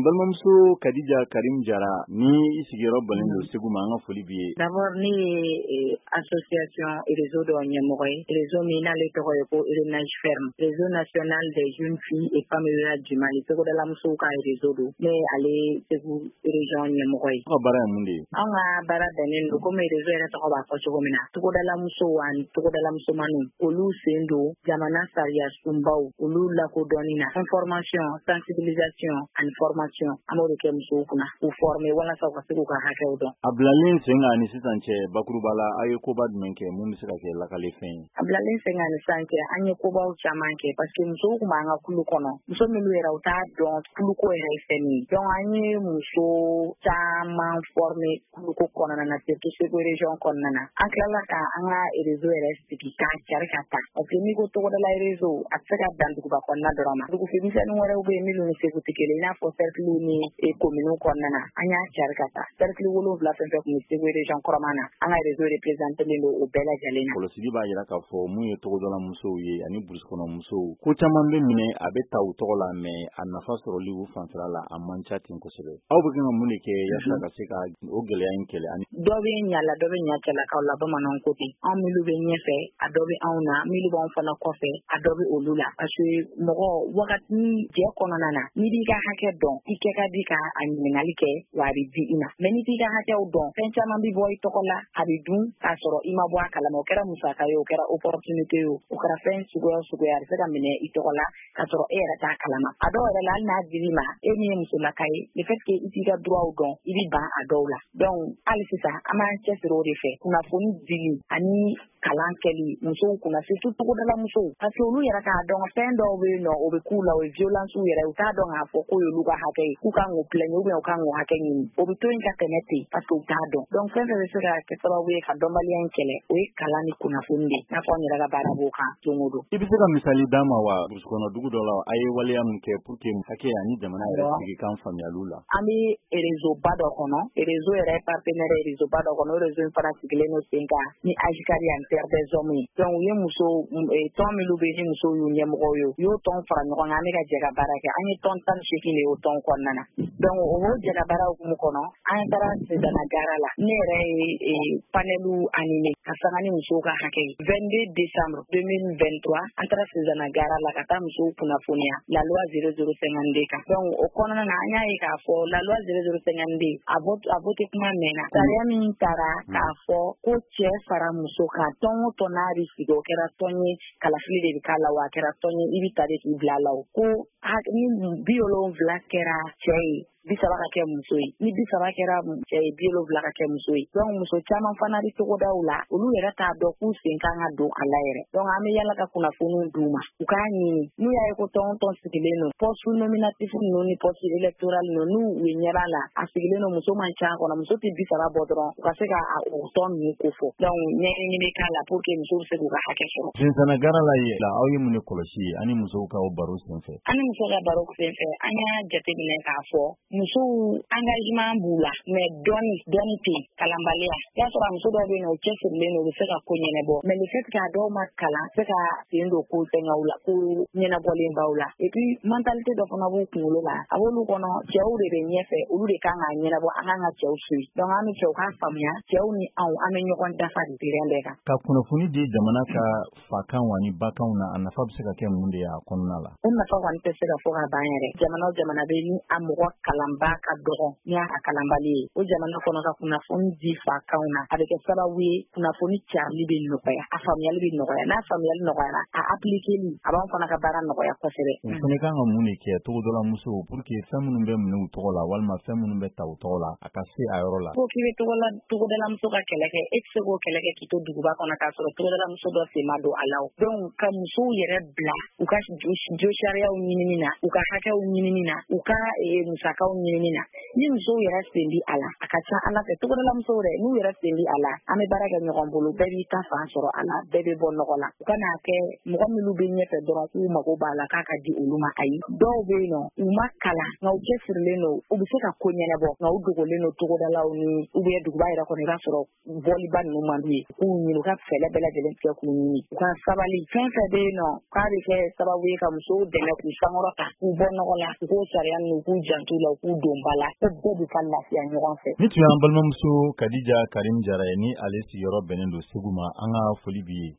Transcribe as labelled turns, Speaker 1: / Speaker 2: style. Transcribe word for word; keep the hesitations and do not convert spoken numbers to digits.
Speaker 1: N balimamuso Kadija Karim Jara, ni i sigiyɔrɔ bɛnnen don Segu ma, an ka foli b'i ye.
Speaker 2: D'abord, ne ye association réseau dɔ ɲɛmɔgɔ ye, réseau min n'ale tɔgɔ ye ko RENAGE Ferme, Réseau national des jeunes filles et femmes rurales du Mali, togodala musow ka réseau don. Ne ye ale Segu région ɲɛmɔgɔ ye.
Speaker 1: Aw ka baara ye mun de ye?
Speaker 2: Anw ka baara bɛnnen don, komi réseau yɛrɛ tɔgɔ b'a fɔ cogo min na, togodala musow ani togodala musomaninw, olu sen don jamana sariya sunbaw olu lakodɔnni na. Information, sensibilisation ani formation, an b'o de kɛ musow kunna k'u former walasa u ka se k'u ka hakɛw dɔn.
Speaker 1: A bilalen sen kan ni sisan cɛ, bakuruba la, aw ye koba jumɛn kɛ mun bɛ se ka kɛ lakalefɛn ye?
Speaker 2: A bilalen sen kan ni sisan cɛ, an ye kobaw caman kɛ, parce que musow tun b'an ka kulu kɔnɔ, muso minnu yɛrɛ u t'a dɔn kuluko yɛrɛ ye fɛn min ye. Donc an ye muso caman former kuluko kɔnɔna na, surtout Segu région kɔnɔna na. An tilala ka an ka réseau yɛrɛ sigi k'a cari ka taa, parce que n'i ko togodala réseau, a tɛ se ka dan duguba kɔnɔna dɔrɔn ma. Dugumisɛnnin wɛrɛw bɛ yen minnu ni Segu tɛ kelen, i n'a fɔ cercle ni commune kɔnɔna na. An y'a cari ka taa cercle wolonwula fɛn fɛn tun bɛ Segu région kɔrɔma na, an ka réseau représenté don o bɛɛ lajɛlen na.
Speaker 1: Kɔlɔsili b'a jira k'a fɔ mun ye togodala musow ye ani brousse kɔnɔ musow, ko caman bɛ minɛ, a bɛ ta u tɔgɔ la, mais a nafa sɔrɔli u fanfɛla la, a man ca ten kosɛbɛ. Aw bɛ kan ka mun de kɛ yaasa ka se ka o gɛlɛya in kɛlɛ ani
Speaker 2: Dɔ bɛ ɲa la, dɔ bɛ ɲa cɛlakaw la. Bamananw ko ten, anw minnu bɛ ɲɛfɛ, a dɔ bɛ anw na, minnu b'anw fana kɔfɛ, a dɔ bɛ olu la, parce que mɔgɔ wagati jɛ kɔnɔna na, n'i b'i ka hakɛ dɔn, i kɛ ka di ka a ɲininkali kɛ, wa a bɛ di i ma. Mais n'i t'i ka hakɛw dɔn, fɛn caman bɛ bɔ i tɔgɔ la, a bɛ dun k'a sɔrɔ i ma bɔ a kalama. O kɛra musaka ye, o kɛra opportunité ye, o kɛra fɛn suguya o suguya, a bɛ se ka minɛ i tɔgɔ la k'a sɔrɔ e yɛrɛ t'a kalama. A dɔw yɛrɛ la, hali n'a dir'i ma, e min ye musolaka ye, le fait que i t'i ka droit dɔn, i bɛ ban a dɔw la. Donc hali sisan an b'an cɛsiri o de fɛ, kunnafoni dili ani kalan kɛli musow kunna, surtout togodala musow, parce que olu yɛrɛ k'a dɔn fɛn dɔw bɛ yen nɔ, o bɛ k'u la, o ye violence yɛrɛ, u t'a dɔn k'a fɔ k'o y'olu ka hakɛ ye, k'u kan k'o plaigner ou bien u kan k'o hakɛ ɲini. O bɛ to yen ka tɛmɛ ten, parce que u t'a dɔn. Donc fɛn fɛn bɛ se ka kɛ sababu ye ka dɔnbaliya in kɛlɛ, o ye kalan ni kunnafoni de ye, n'a fɔ an yɛrɛ ka baara b'o kan don o don.
Speaker 1: I bɛ se ka misali d'an ma wa, brousse kɔnɔ dugu dɔ la, a ye waleya mun kɛ pour que hakɛ ani jamana yɛrɛ sigi kan faamuyaliw la?
Speaker 2: An bɛ réseau ba dɔ kɔnɔ, réseau yɛrɛ partenaire réseau ba dɔ kɔnɔ. O réseau in fana sigilen don sen kan ni AJCARI ani Terre des Hommes ye. Donc u ye muso tɔn minnu bɛ yen ni musow y'u ɲɛmɔgɔw ye, u y'o tɔn fara ɲɔgɔn kan, an bɛ ka jɛ ka baara kɛ. An ye tɔn tan ni seegin de y'o tɔn kɔnɔna na. Donc o jɛ ka baara hukumu kɔnɔ, an taara Sezana gara la, ne yɛrɛ ye panel animé ka sanga ni musow ka hakɛ ye. vingt-deux décembre deux mille vingt-trois, an taara Sezana gara la ka taa musow kunnafoniya la loi zéro zéro cinquante-deux kan. Donc o kɔnɔna na, an y'a ye k'a fɔ la loi zéro zéro cinquante-deux, a vote a voté kuma mɛnna. Sariya min taara k'a fɔ ko cɛ fara muso kan, tɔn o tɔn n'a bɛ sigi, o kɛra tɔn ye kalafili de bɛ k'a la, wa a kɛra tɔn ye i bɛ ta de k'i bila a la, o ko ni bi wolonwula kɛra cɛ ye, bi saba ka kɛ muso ye, ni bi saba kɛra cɛ ye, bi wolonwula ka kɛ muso ye. Donc muso caman fana bɛ togodaw la, olu yɛrɛ t'a dɔn k'u sen kan ka don a la yɛrɛ. Donc an bɛ yala ka kunnafoniw d'u ma, u k'a ɲini. N'u y'a ye ko tɔn o tɔn sigilen don, poste nominatif ninnu ni poste électoral ninnu, n'u u ɲɛ b'a la a sigilen don, muso man ca kɔnɔ, muso tɛ bi saba bɔ dɔrɔn, u ka se ka o tɔn ninnu ko fɔ. Donc ɲɛɲini bɛ k'a la pour que musow bɛ se k'u ka hakɛ sɔrɔ.
Speaker 1: Sinsana gara la ye, aw ye mun de kɔlɔsi ani musow ka o baro senfɛ?
Speaker 2: Ani musow ka baro senfɛ, an y'a jateminɛ k'a fɔ musow engagement b'u la, mais dɔɔni dɔɔni tɛ yen, kalanbaliya. I y'a sɔrɔ a muso dɔw bɛ yen nɔ, u cɛsirilen don, u bɛ se ka ko ɲɛnabɔ, mais le fait que a dɔw ma kalan, se ka sen don ko fɛngɛw la, ko ɲɛnabɔlen baw la. Et puis mentalité dɔ fana b'u kunkolo la, a b'olu kɔnɔ, cɛw de bɛ ɲɛfɛ, olu de kan k'a ɲɛnabɔ, an kan ka cɛw suit. Donc an bɛ cɛw k'a faamuya, cɛw ni anw, an bɛ ɲɔgɔn dafa de terrain bɛɛ kan.
Speaker 1: Ka kunnafoni di jamana ka fakanw ani bakanw na, a nafa bɛ se ka kɛ mun de ye a kɔnɔna la?
Speaker 2: O nafa kɔni tɛ se ka fɔ ka ban yɛrɛ. Jamana o jamana bɛ ni a mɔgɔ kalanba ka dɔgɔ ni a kalanbali ye, o jamana kɔnɔ, ka kunnafoni di fakanw na, a bɛ kɛ sababu ye kunnafoni carili bɛ nɔgɔya, a faamuyali bɛ nɔgɔya. N'a faamuyali nɔgɔyara, a appliquer a b'anw fana ka baara nɔgɔya kosɛbɛ.
Speaker 1: U fana kan ka mun de kɛ, togodala musow, pour que fɛn minnu bɛ minɛ u tɔgɔ la walima fɛn minnu bɛ ta u tɔgɔ la, a ka se a yɔrɔ la?
Speaker 2: Ko k'i bɛ togodala muso ka kɛlɛ kɛ, e tɛ se k'o kɛlɛ kɛ k'i to duguba kɔnɔ k'a sɔrɔ togodala muso dɔ sen ma don a la. O donc ka musow yɛrɛ bila u ka jo sariyaw ɲinini na, u ka hakɛw ɲinini na, u ka musakaw ɲinini na. Ni musow yɛrɛ sen bi a la, a ka ca Ala fɛ, togodala musow yɛrɛ n'u yɛrɛ sen bi a la, an bɛ baara kɛ ɲɔgɔn bolo, bɛɛ b'i ta fan sɔrɔ a la, bɛɛ bɛ bɔ nɔgɔ la. U kana kɛ mɔgɔ minnu bɛ ɲɛfɛ dɔrɔn k'u mago b'a la k'a ka di olu ma, ayi. Dɔw bɛ yen nɔ, u ma kalan, nka u cɛsirilen don, u bɛ se ka ko ɲɛnabɔ, nka u dogolen don togodalaw ni ou bien duguba yɛrɛ kɔnɔ, i b'a sɔrɔ bɔliba ninnu man d'u ye. K'u ɲini, u ka fɛɛrɛ bɛɛ lajɛlen tigɛ k'u ɲini, u ka sabali. Fɛn fɛn bɛ yen nɔ k'a bɛ kɛ sababu ye ka musow dɛmɛ k'u sankɔrɔta, k'u bɔ nɔgɔ la, u k'o sariya ninnu, u k'u janto la, u k'u don ba la, ko bɛɛ bɛ ka lafiya ɲɔgɔn fɛ.
Speaker 1: Ni tun y'an balimamuso Kadija Karim Jara ye, ni ale sigiyɔrɔ bɛnnen don Segu ma, an ka foli b'i ye.